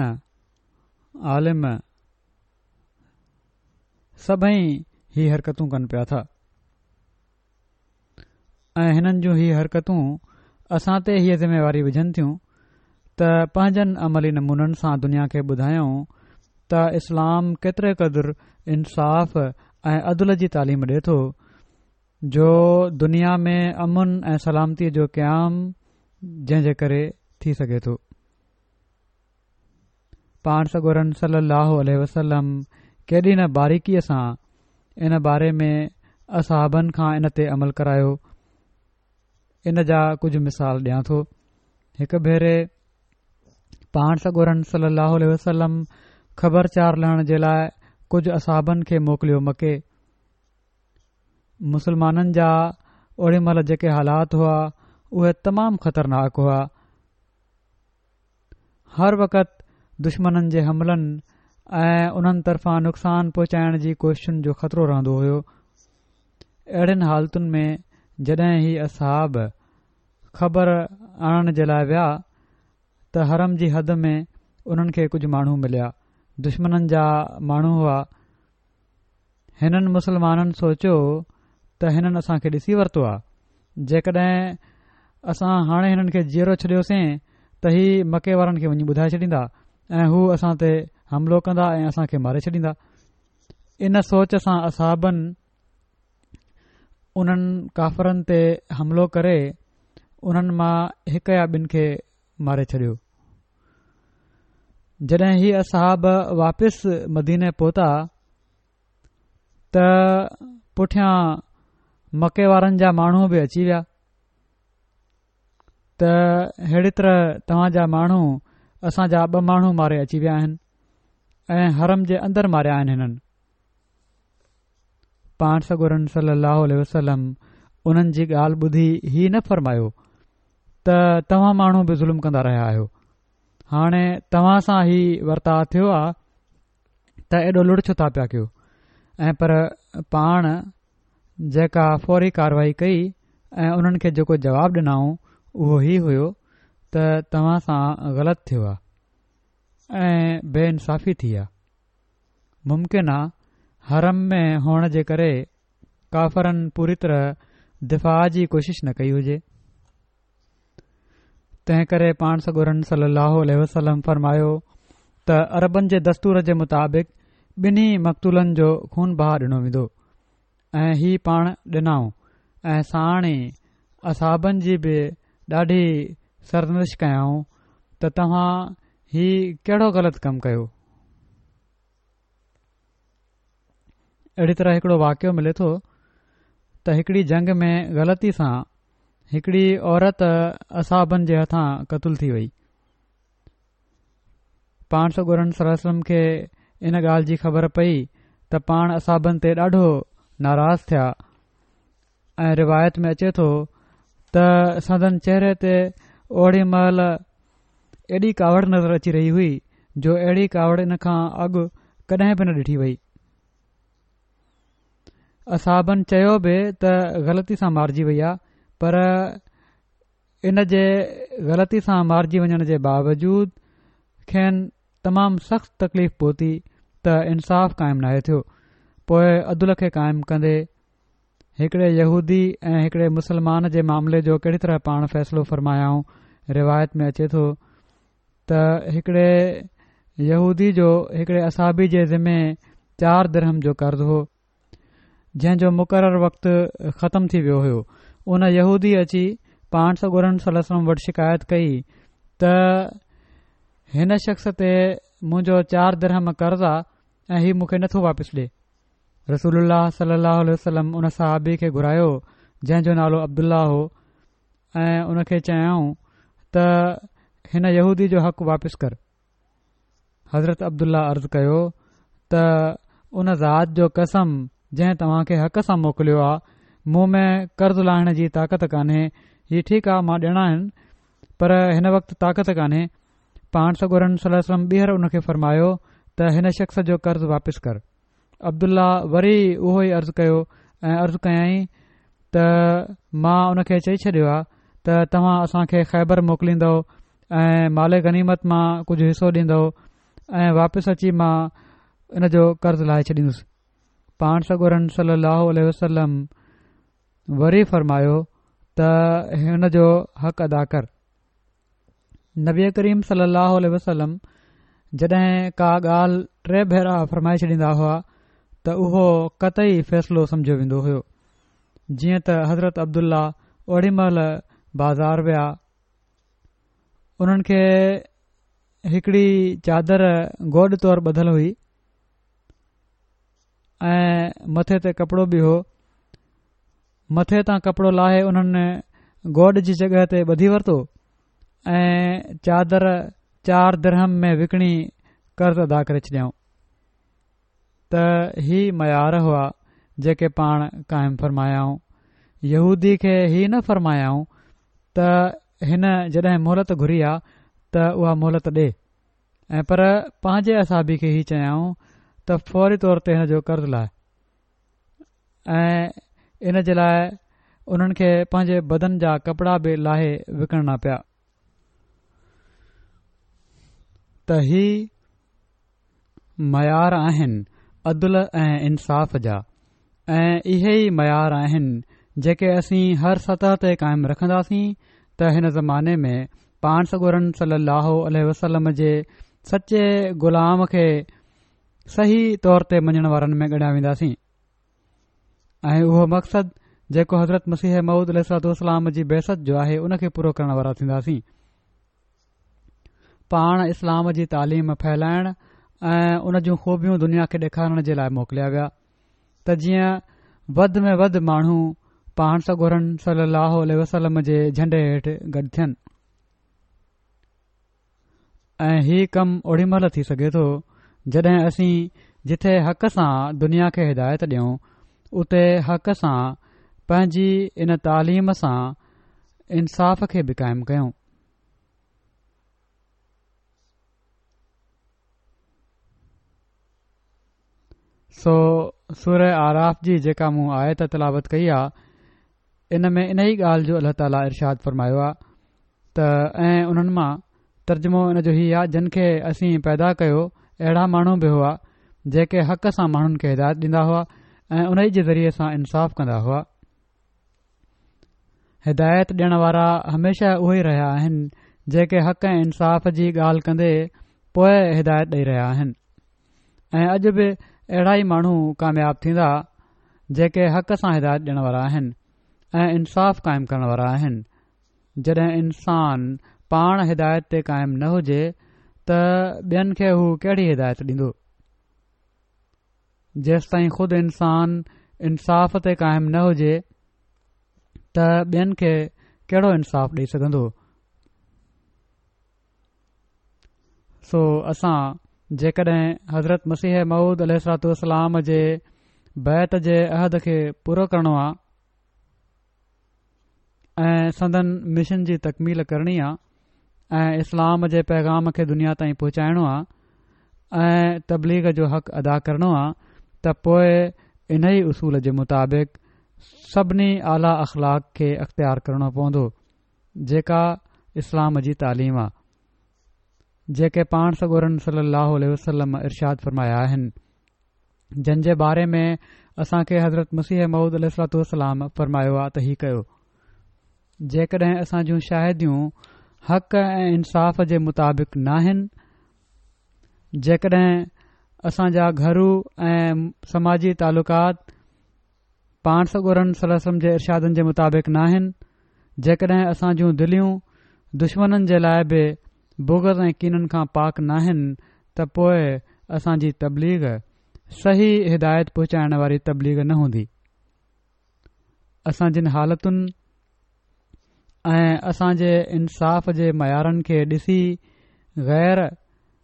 عالم سڀئي هي حرڪتون ڪن پيا ٿا. ۽ هنن جون هي حرڪتون اسان تي هيء ذميواري وجهن ٿيون ته پنهنجن عملي نمونن سان دنيا کي ٻڌايون ته اسلام ڪيتري قدر انصاف ۽ عدل جي تعليم ڏي ٿو جو دنيا ۾ امن ۽ سلامتي جو قيام جنهن جي ڪري ٿي سگهي ٿو. پاڻ سڳورن صلي الله عليه وسلم ڪيڏي نه باريڪيء سان ان باري ۾ اصحابن کان ان تي عمل ڪرايو. ان جا ڪجهه مثال ڏيان ٿو. هڪ ڀيري پاڻ سڳورن صلي الله عليه وسلم خبر چار لهڻ جي لاء ڪجهه اصحابن کي موڪليو مڪي. مسلمانن جا اوڏي مهل جيڪي حالات هئا اهي تمام خطرناڪ هئا. هر وقت دشمنن جي حملن ۽ انهن طرفان نقصان پهچائڻ جي ڪوششن جو خطرو رهندو هيو. اهڙين حالتن ۾ جڏهن هي اصحاب خبر آڻڻ جي لاء ويا ته حرم جي حد ۾ انهن کي ڪجهه ماڻهو مليا. دشمنن جا ماڻهو هئا. هنن مسلمانن سوچيو ته هنن اسان کي ڏسي ورتو آ، جيڪڏهن اسان هاڻي هنن کي جيئرو ڇڏيوسين ته هي مڪي وارن کي وڃي ٻڌائي ڇڏيندا ۽ هو اسان تي حملو ڪندا ۽ اسان کي ماري ڇڏيندا. ان سوچ سان اصحابن انهن ڪافرن تي حملو ڪري انهن مان هڪ يا ٻن کي ماري ڇڏيو. جڏهن هي اصحاب واپس مديني پهتا ته پٺيان مڪي وارن جا ماڻهو به اچي ويا ته ههڙي طرح توهان جا ماڻهو اسان جا ٻه ماڻهو ماري اچي ويا آهن ۽ حرم جي اندر ماريا آهن هنن پاڻ سڳورن صلي الله عليه وسلم انهن جي ڳالهه ٻڌي هي نه فرمايو ته توهان ماڻهو به ظلم ڪندا رهيا آهيو هاڻي توهان سان هي ورتاء ٿيو آ ته ايڏو لڙ ڇو ٿا پيا ڪيو ۽ پر پاڻ جيڪا فوري ڪارروائي ڪئي ۽ انهن کي جيڪو جواب ڏنائون اهو هي هيو ته توهان سان غلط ٿيو آ ۽ بي انصافي ٿي آ ممڪن آ حرم ۾ هئڻ جي ڪري ڪافرن پوري طرح دفاع جي ڪوشش نه ڪئي هجي. تنهن ڪري پاڻ سڳورن صلي الله عليه وسلم فرمايو ته عربن جي دستور جي مطابق ٻنهي مقتولن جو خون بها ڏنو ويندو ۽ هي پاڻ ڏنائون ۽ ساڻ ئي اصحابن جي به ڏاڍي سرزنش ڪيائون ته توهان هي ڪهڙو غلط ڪم ڪيو. اهڙي طرح هڪڙو واقعو ملي ٿو ته هڪڙي جنگ ۾ غلطي سان هڪڙي عورت اصحابن جي هٿان قتل ٿي وئي. پاڻ سڳورن صلي الله عليه وسلم کي ان ڳالهه جي خبر پئي ته پاڻ اصحابن تي ڏاڍو ناراض ٿيا ۽ روايت ۾ اچي ٿو ته سندن چهري تي اوڙي مهل ايڏي ڪاوڙ نظر اچي رهي هئي جو اهڙي ڪاوڙ ان کان اڳ ڪڏهن به نه ڏٺي وئي. اصحابن چيو به ته غلطي سان مارجي وئي آ پر ان جي غلطي سان مارجي وڃڻ جي باوجود کين تمام سخت تڪليف پهتي ته انصاف قائم ناهي ٿيو. پوء عدل کي قائم ڪندي هڪڙي يهودي ۽ هڪڙي مسلمان جي معاملي جو ڪهڙي طرح پاڻ فيصلو فرمايائون روايت ۾ اچي ٿو ته هڪڙي يهودي جو هڪڙي اصحابي جي ذمي چار درهم جو قرض هو جنهن جو مقرر وقت ختم ٿي ويو هيو ان يهودي اچي پاڻ سڳورن صلي الله عليه وسلم وٽ شڪايت ڪئي ته هن شخص تي منهنجو چار درهم قرض آ ۽ هي مون کي نٿو واپس ڏي رسول الله صلي الله عليه وسلم ان صحابي کي گهرايو جنهن جو نالو عبدالله هو ۽ ان کي چيائون ته هن يهودي جو حق واپس ڪر حضرت عبدالله عرض ڪيو ته ان ذات جو قسم جنهن توهان کي حق سان موڪليو آ مون ۾ قرض لاهڻ جي طاقت ڪانهي هي ٺيڪ آ مان ڏيڻا آهن پر هن وقت طاقت ڪانهي پاڻ سڳورن صلي الله عليه وسلم ٻيهر ان کي فرمايو ته هن شخص جو قرض واپس ڪر عبدالله وري اهو ئي عرض ڪيو ۽ عرض ڪيائين ته مان ان کي چئي ڇڏيو آهي ته توهان اسان کي خيبر موڪليندؤ ۽ مال غنيمت مان ڪجهه حصو ڏيندؤ ۽ واپس اچي مان ان جو قرض لاهي ڇڏيندس پاڻ سڳورن صلي الله عليه وسلم وري فرمايو ته هن جو حق ادا ڪر. نبي ڪريم صلي الله عليه وسلم جڏهن ڪا ڳالهه ٽي ڀيرا فرمائي ڇڏيندا هئا ته اهو قطعي فيصلو سمجهيو ويندو هيو. جيئن ته حضرت عبدالله اوڏي مهل بازار ويا، انهن کي هڪڙي چادر گوڏ طور ٻڌل هئي ۽ مٿي تي ڪپڙو به هو. مٿي تان ڪپڙو لاهي انهن گوڏ جي جڳهه تي ٻڌي ورتو ۽ چادر چار درهم ۾ وڪڻي قرض ادا ڪري ڇڏيائون ته هي معيار هئا جيڪي پاڻ قائم فرمايائون. يهودي کي هي نه فرمايائون ته هن جڏهن مهلت گهري آ ته اها مهلت ڏي ۽ پر پنهنجي اصحابي کي هي چيائون ته فوري طور تي هن جو قرض لاهه. ۽ ان جي لاء انهن کي پنهنجي بدن جا ڪپڙا به لاهي وڪڻڻا پيا. ته هي معيار آهن عدل ۽ انصاف جا ۽ اهي ئي معيار آهن جيڪي اسين هر سطح تي قائم رکنداسين ته هن زماني ۾ پاڻ سڳورن صلي الله عليه وسلم جي سچي غلام کي صحيح طور تي مڃڻ وارن ۾ ڳڻيا وينداسين ۽ اهو مقصد جيڪو حضرت مسيح موعود عليه الصلوة والسلام جي بعثت جو آهي ان کي پورو ڪرڻ وارا ٿينداسين. پاڻ اسلام جي تعليم ڦهلائڻ ۽ ان جون خوبيون دنيا کي ڏيکارڻ جي لاء موڪليا ويا ته جيئن وڌ ۾ وڌ ماڻهو پاڻ سڳورن صلي الله عليه وسلم جي جهنڊي هيٺ گڏ ٿين. ۽ هي ڪم اوڏي مهل ٿي سگهي ٿو جڏهن اسين جٿي حق سان دنيا کي هدايت ڏيون اتي حق سان پنهنجي ان تعليم سان انصاف کي به قائم ڪيون. سو سوره اعراف جي جيڪا مون آيت تلاوت ڪئي آ ان ۾ انهي ڳالهه جو الله تعاليٰ ارشاد فرمايو آ ته ۽ انهن مان، ترجمو ان جو هي آ، جن کي اسين پيدا ڪيو اهڙا ماڻهو به هئا جيڪي حق سان ماڻهن کي هدايت ڏيندا هئا ۽ انهي جي ذريعي سان انصاف ڪندا هئا. هدايت ڏيڻ وارا هميشه اهي ئي رهيا آهن جيڪي حق ۽ انصاف جي ڳالهه ڪندي پوء هدايت ڏئي رهيا آهن. ۽ اڄ به اهڙا ئي ماڻهو ڪامياب ٿيندا جيڪي حق سان هدايت ڏيڻ وارا آهن ۽ انصاف قائم ڪرڻ وارا آهن. جڏهن انسان پاڻ هدايت تي قائم نه هجي ته ٻين کي هو ڪهڙي هدايت ڏيندو؟ جيستائين خود انسان انصاف تي قائم نه هجي ته ٻين کي ڪهڙو انصاف ڏئي سگهندو؟ سو اسان جيڪڏهن حضرت مسيح موعود عليه الصلوة والسلام جي بيعت جي عهد کي پورو ڪرڻو آ ۽ سندن مشن جي تڪميل ڪرڻي آ ۽ اسلام جي پيغام کي دنيا تائين پهچائڻو آ ۽ تبليغ جو حق ادا ڪرڻو آ ته پوء انهي اصول جي مطابق سڀني اعليٰ اخلاق کي اختيار ڪرڻو پوندو. جيڪا اسلام جي تعليم آ، جيڪي پاڻ سڳورن صلي الله عليه وسلم ارشاد فرمايا آهن، جن جي باري ۾ اسان کي حضرت مسيح موعود عليه الصلوة والسلام فرمايو آ ته هي ڪيو. جيڪڏهن اسان جون شاهديون حق ۽ انصاف جي مطابق ناهن، جيڪڏهن اسان جا گهرو ۽ سماجي تعلقات پاڻ سڳورن صلي الله عليه وسلم جي ارشادن جي مطابق ناهن، جيڪڏهن اسان جون دليون دشمنن جي لاء به بغض ۽ ڪينن کان پاڪ ناهن ته پوء اسان جي تبليغ صحيح هدايت پهچائڻ واري تبليغ نه هوندي. اسان جن حالتن ۽ اسان جي انصاف جي معيارن کي ڏسي غير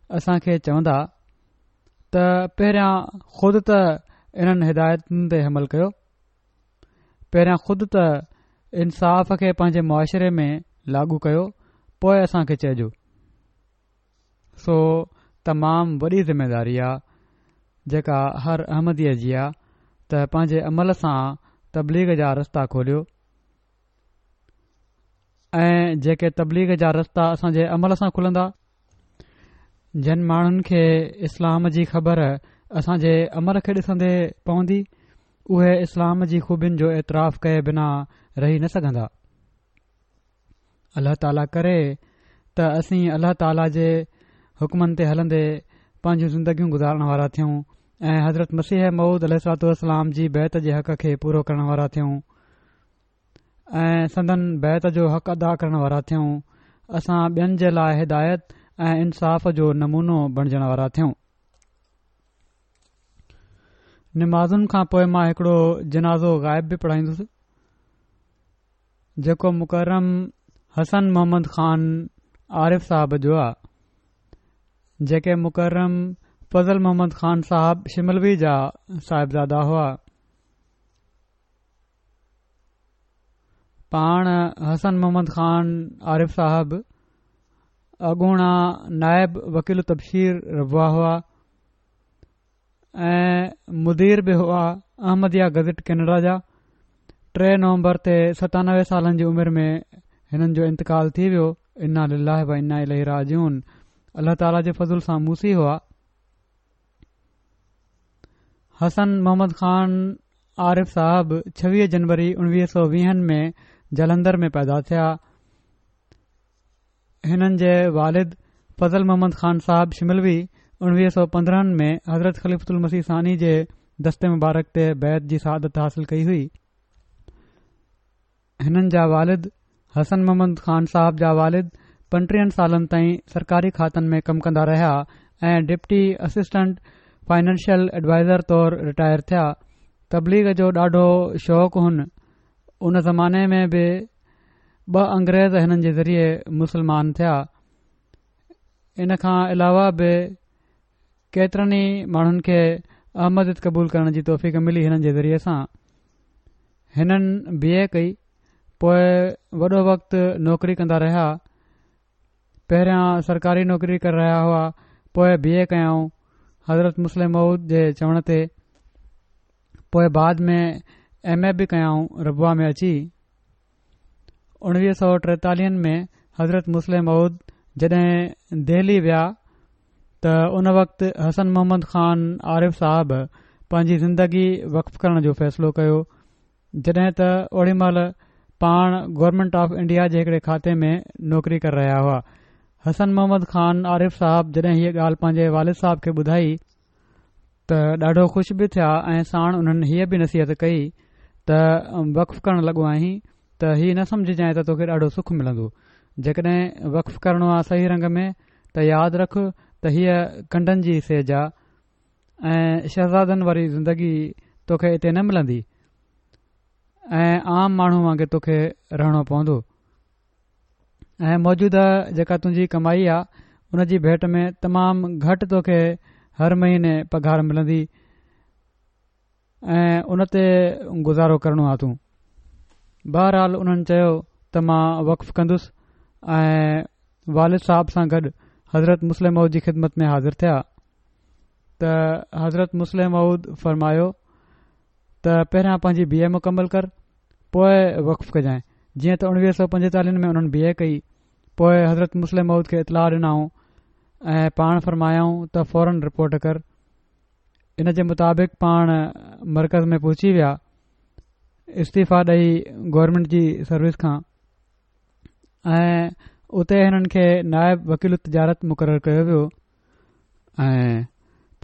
اسان کي چوندا ته پهريان خود ته انهن هدايتن تي عمل ڪيو، پهريان خود ته انصاف کي پنهنجي معاشري ۾ لاڳو ڪيو پوء اسان کي چئجو. سو تمام وڏي ذميداري آ جيڪا هر احمديء جي آ ته پنهنجي عمل سان تبليغ جا رستا کوليو ۽ جيڪي تبليغ جا رستا اسان جي عمل سان کلندا، جن ماڻهن کي اسلام جي خبر اسان جي عمل کي ڏسندي پوندي، اهي اسلام جي خوبين جو اعتراف ڪئي بنا رهي نه سگهندا. الله تعاليٰ ڪري ته اسين الله تعاليٰ جي حڪمن تي هلندي پنهنجون زندگيون گذارڻ وارا ٿيون ۽ حضرت مسيح موعود عليه الصلوة والسلام جي بيعت جي حق کي پورو ڪرڻ وارا ٿيون ۽ سندن بيعت جو حق ادا ڪرڻ وارا ٿيون. اسان ٻين جي لاء هدايت ۽ انصاف جو نمونو بڻجڻ وارا ٿيون. نمازن کان پوء مان هڪڙو جنازو غائب به پڙهائيندس. جيڪو مڪرم حسن محمد خان عارف صاحب جو آ جيڪي مڪرم فضل محمد خان صاحب شملوي جا صاحبزادا هئا. پاڻ حسن محمد خان عارف صاحب اڳوڻا نائب وڪيل التبشير ربوه هئا. ۽ مدير به هئا احمديه گزٽ ڪينيڊا جا. 3 نومبر تي 97 سالن جي عمر ۾ هنن جو انتقال ٿي ويو. انا لله و انا اليه راجعون الله تعالي جي فضل سان موصي هئا. حسن محمد خان عارف صاحب 26 جنوري 1920 ۾ جالنڌر ۾ پيدا ٿيا. هنن جي والد فضل محمد خان صاحب شملوي 1915 ۾ حضرت خليفة المسيح ثاني جي دست مبارڪ تي بيعت جي سعادت حاصل ڪئي هئي. هنن جا والد حسن محمد خان صاحب جا والد پنٽيهن سالن تائين سرڪاري کاتن ۾ ڪم ڪندا رهيا ۽ ڊپٽي اسسٽنٽ فائنانشل ايڊوائزر طور رٽائر ٿيا. تبليغ جو ڏاڍو شوق هن. ان زماني ۾ به ٻه انگريز هنن جي ذريعي مسلمان ٿيا. ان کان علاوه به ڪيترن ئي ماڻهن کي احمديت قبول ڪرڻ جي توفيق ملي هنن جي ذريعي سان. هنن بي اي ڪئي پوء وڏو وقت نوڪري ڪندا رهيا. پهريان سرڪاري نوڪري ڪري رهيا هئا پوء بي اي ڪيائون حضرت مصلح موعود جي چوڻ تي پوء بعد ۾ ايم اي به ڪيائون ربوه ۾ اچي 1943 ۾ حضرت مصلح موعود جڏهن دهلي ويا ته ان وقت حسن محمد خان عارف صاحب پنهنجي زندگي وقف ڪرڻ جو فيصلو ڪيو جڏهن ته اوڏي مهل پاڻ گورنمينٽ آف انڊيا جي هڪڙي کاتي ۾ نوڪري ڪري رهيا هئا. حسن محمد خان عارف صاحب جڏهن هيء ڳالهه پنهنجي والد صاحب کي ٻڌائي، ته ڏاڍو خوش به ٿيا ۽ ساڻ انهن هيء به نصيحت ڪئي ته وقف ڪرڻ لڳو آهين ته هي نه سمجهجانء ته توکي ڏاڍو سک ملندو. جيڪڏهن وقف ڪرڻو آ صحيح رنگ ۾ ته ياد رک ته هيء ڪنڊن جي سيج آ. ۽ شهزادن واري زندگي توکي اتي نه ملندي ۽ عام ماڻهو وانگي توکي رهڻو پوندو ۽ موجوده جيڪا تنهنجي ڪمائي آ ان جي ڀيٽ ۾ تمام گهٽ توکي هر مهيني پگهار ملندي ۽ ان تي گذارو ڪرڻو آ تون بهرحال انهن چيو ته مان وقف ڪندس ۽ والد صاحب سان گڏ حضرت مصلح موعود جي خدمت ۾ حاضر ٿيا ته حضرت مصلح موعود فرمايو ته پهريان پنهنجي بي اي مڪمل ڪر پوء وقف ڪجانء جيئن ته اڻويهه سو پنجيتاليهن ۾ انهن بي اي ڪئي پوء حضرت مصلح موعود کي اطلاع ڏنائون ۽ پاڻ فرمايائون ته فورن رپورٽ ڪر ان جي مطابق پاڻ مرڪز ۾ پهچي ويا استعيفا ڏئي گورنمينٽ جي سروس کان ۽ اتي هنن کي نائب وڪيل التجارت مقرر ڪيو ويو ۽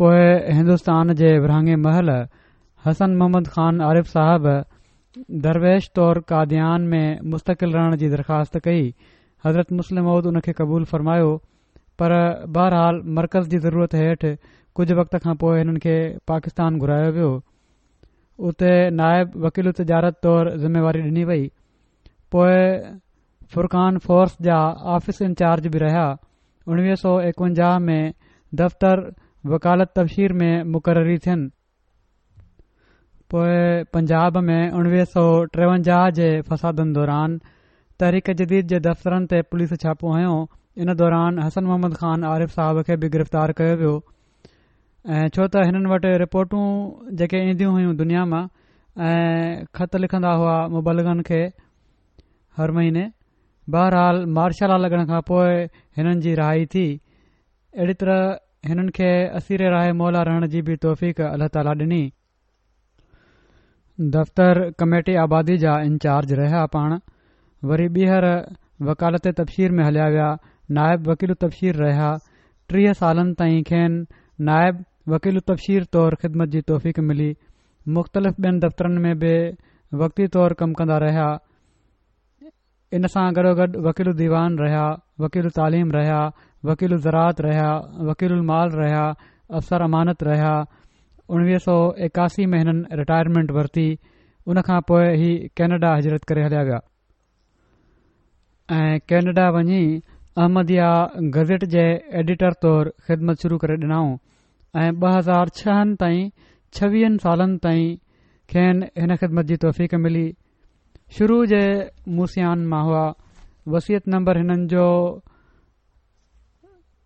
پوء هندستان جي ورهاڱي مهل حسن محمد خان عارف صاحب درويش طور قاديان ۾ مستقل رهڻ جي درخواست ڪئي. حضرت مصلح موعود ان کي قبول فرمايو پر بهرحال مرڪز جي ضرورت هيٺ ڪجهه وقت کان پوء هنن کي پاڪستان گهرايو ويو. اتي نائب وڪيل التجارت طور ذميواري ڏني وئي. پوء فرقان فورس جا آفيس انچارج به رهيا. 1951 ۾ دفتر وڪالت تبشير ۾ مقرري ٿين. پوء پنجاب ۾ 1953 جي فسادن دوران تحريڪ جديد جي دفترن تي پوليس ڇاپو هنيو. ان دوران حسن محمد خان عارف صاحب کي به گرفتار ڪيو ويو ۽ ڇو ته هنن وٽ رپورٽون جيڪي اينديون هيون دنيا مان ۽ خط لکندا هئا مبلغن کي هر مهيني بهرحال مارشل لا لڳڻ کان پوء هنن جي رهائي ٿي. اهڙي طرح هنن کي اسير راهه مولا رهڻ جي به توفيق الله تعاليٰ ڏني. دفتر ڪميٽي آبادي جا انچارج رهيا پاڻ وري ٻيهر وڪالت تبشير ۾ هليا ويا، نائب وڪيل التبشير رهيا، 30 سالن تائين کين نائب وڪيل التبشير طور خدمت جي توفيق ملي، مختلف ٻين دفترن ۾ به وقتي طور ڪم ڪندا رهيا، ان سان گڏوگڏ وڪيل الديوان رهيا، وڪيل التعليم رهيا، وڪيل الزراعت رهيا، وڪيل المال رهيا، افسر امانت رهيا، 1981 ۾ هنن رٽائرمينٽ ورتي، ان کان پوء هي ڪينيڊا هجرت ڪري هليا ويا. ۽ ڪينيڊا وڃي احمديه گزيٽ جي ايڊيٽر طور خدمت شروع ڪري ڏنائون ۽ 2006 تائين ڇويهن سالن تائين کين هن خدمت جي توفيق ملي. شروع جي موصيان مان هئا. وصيت نمبر هنن جو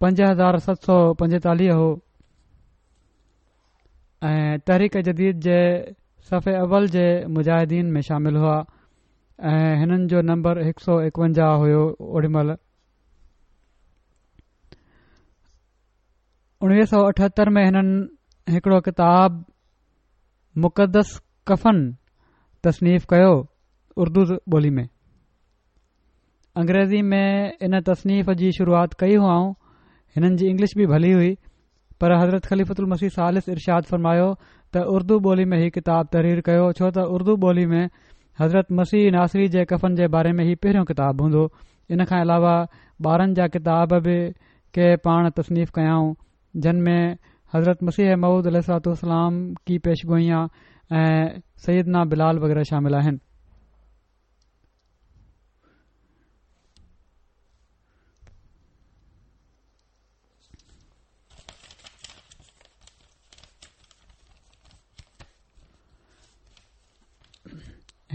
5745 هو. ۽ تحريڪ جديد جي صف اول جي مجاهدين ۾ شامل هئا ۽ هنن جو نمبر 151 هيو اوڏي مهل 1978 ۾ هنن هڪڙو ڪتاب مقدس ڪفن تصنيف ڪيو اردو ٻولي ۾ انگريزي ۾ ان تصنيف جي شروعات ڪئي هئائون هنن جي انگلش به ڀلي هئي پر حضرت خليفة المسيح ثالث ارشاد فرمايو ته اردو ٻولي ۾ هي ڪتاب تحرير ڪيو ڇو ته اردو ٻولي ۾ حضرت مسيح ناصري جي ڪفن جي باري ۾ هي پهريون ڪتاب هوندو ان کان علاوه ٻارن جا ڪتاب به ڪي پاڻ تصنيف ڪيائون جن ۾ حضرت مسيح موعود عليه الصلوة والسلام ڪي پيشگوئيان ۽ سيدنا بلال وغيره شامل آهن.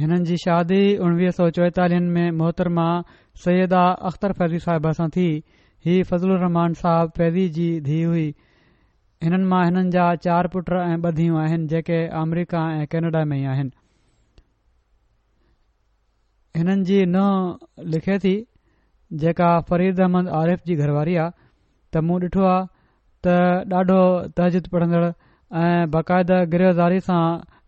هنن جي شادي 1944 ۾ محترمه سيده اختر فيضي صاحبه سان ٿي. هي فضل الرحمان صاحب فيضي جي ڌيء هئي. هنن مان هنن جا چار پٽ ۽ ٻه ڌيئون آهن جيڪي آمريڪا ۽ ڪينيڊا ۾ ئي آهن. هنن جي ننهن لکي ٿي جيڪا فريد احمد عارف جي گهر واري آ ته مون ڏٺو آ ته ڏاڍو تهجد پڙهندڙ ۽ باقاعده گريه زاري سان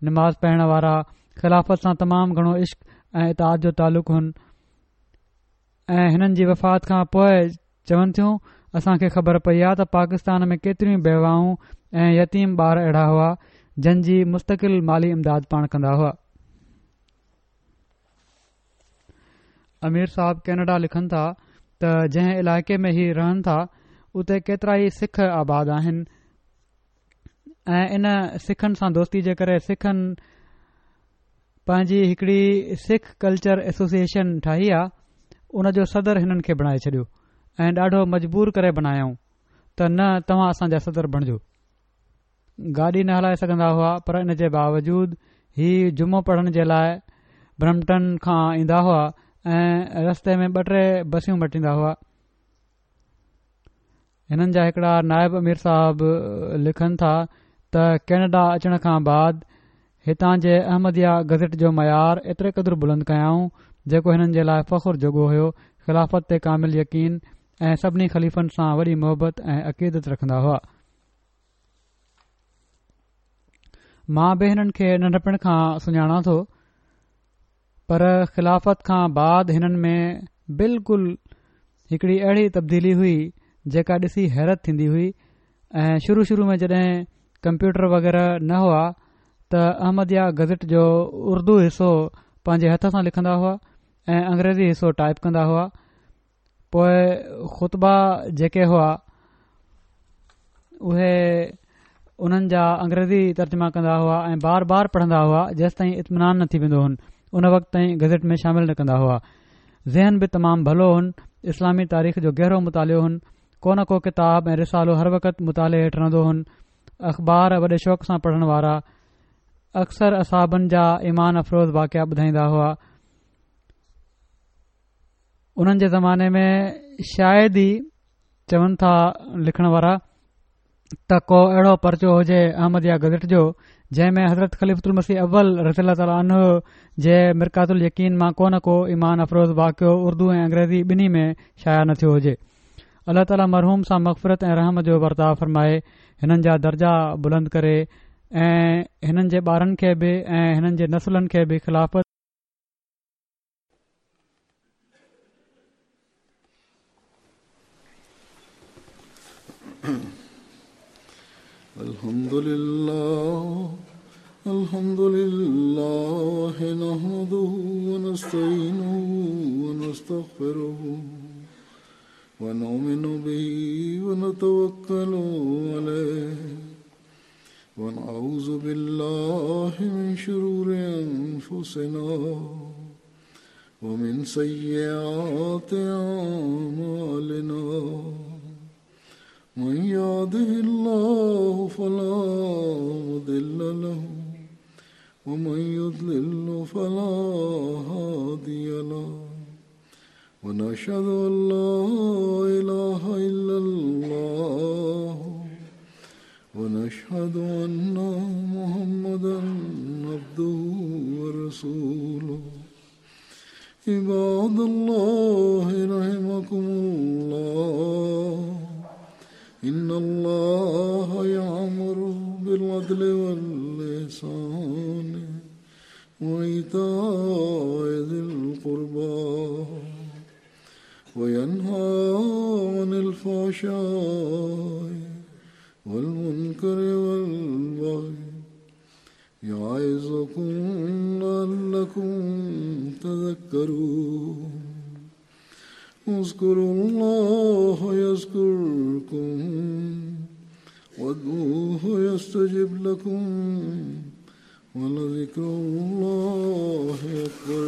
نماز پڙهڻ وارا خلافت سان تمام گهڻو عشق ۽ اطاعت جو تعلق هن ۽ هنن جي وفات کان پوء چون ٿيون، اسان کي خبر پئي آ ته پاڪستان ۾ ڪيتريون بيواهون ۽ يتيم ٻار اهڙا هئا، جن جي مستقل مالي امداد پاڻ ڪندا هئا. امير صاحب ڪينيڊا لکن ٿا ته جنهن علائقي ۾ هي رهن ٿا، اتي ڪيترائي سک آباد آهن ۽ ان سکن سان دوستي جي ڪري سکن پنهنجي هڪڙي سک ڪلچر ايسوسيئيشن ٺاهي آ ان جو صدر هنن کي بڻائي ڇڏيو ۽ ڏاڍو مجبور ڪري بنايائون ته نه توهان اسان جا صدر بڻجو. گاڏي نه هلائي سگهندا هئا پر ان جي باوجود هي جمعو پڙهڻ جي لاء برمپٽن کان ايندا هئا ۽ رستي ۾ ٻه ٽي بسيون مٽيندا هئا. هنن جا هڪڙا نائب امير صاحب لکن ٿا ته ڪينيڊا اچڻ کان بعد هتان جي احمديه گزيٽ جو معيار ايتري قدر بلند ڪيائون جيڪو هنن جي لاء فخر جوڳو هيو خلافت تي ڪامل يقين ۽ سڀني خليفن سان وڏي محبت ۽ عقيدت رکندا هئا مان به هنن کي ننڍپڻ کان سڃاڻان ٿو پر خلافت کان بعد هنن ۾ بلڪل هڪڙي اهڙي تبديلي هئي جيڪا ڏسي حيرت ٿيندي هئي ۽ شروع شروع ۾ جڏهن ڪمپيوٽر وغيره نه هئا ته احمديه گزٽ جو اردو حصو پنهنجي هٿ سان لکندا هئا ۽ انگريزي حصو ٽائپ ڪندا هئا پوء خطبا جيڪي هئا اهي انهن جا انگريزي ترجما ڪندا هئا ۽ بار بار پڙهندا هئا جيستائين اطمينان نه ٿي ويندو هن ان وقت تائين گزٽ ۾ شامل نه ڪندا هئا ذهن به تمام ڀلو هن اسلامي تاريخ جو گهرو مطالعو هن ڪو نه ڪو ڪتاب ۽ رسالو هر وقت مطالعي هيٺ رهندو هن اخبار وڏي شوق سان پڙهڻ وارا اڪثر اصحابن جا ايمان افروز واقعا ٻڌائيندا هئا انهن جي زماني ۾ شايد ئي چون ٿا لکڻ وارا ته ڪو اهڙو پرچو هجي احمديه گزٽ جو جنهن ۾ حضرت خليفة المسيح اول رضي الله تعالٰي عنه جي مرقات اليقين مان ڪو نه ڪو ايمان افروز واقعو اردو ۽ انگريزي ٻنهي ۾ شايع نه ٿيو هجي الله تعالٰي مرحوم سان مغفرت ۽ رحم جو ورتاء فرمائي هنن جا درجا بلند ڪري ۽ هنن جي ٻارن کي به ۽ هنن جي نسلن کي به خلافت. الحمد لله الحمد لله نحمده ونستعينه ونستغفره ونؤمن به ونتوكل عليه ونعوذ بالله من شرور أنفسنا ومن سيئات أعمالنا من يهده الله فلا مضل له ومن يضلل فلا هادي له ونشهد أن لا إله إلا الله ونشهد أن محمدا عبده ورسوله. عباد الله رحمكم الله، إن الله يأمر بالعدل والإحسان وإيتاء ذي القربى وينهى عن الفحشاء والمنكر والبغي يعظكم لعلكم تذكرون. اذكروا الله يذكركم وادعوه يستجب لكم ولذكر الله أكبر.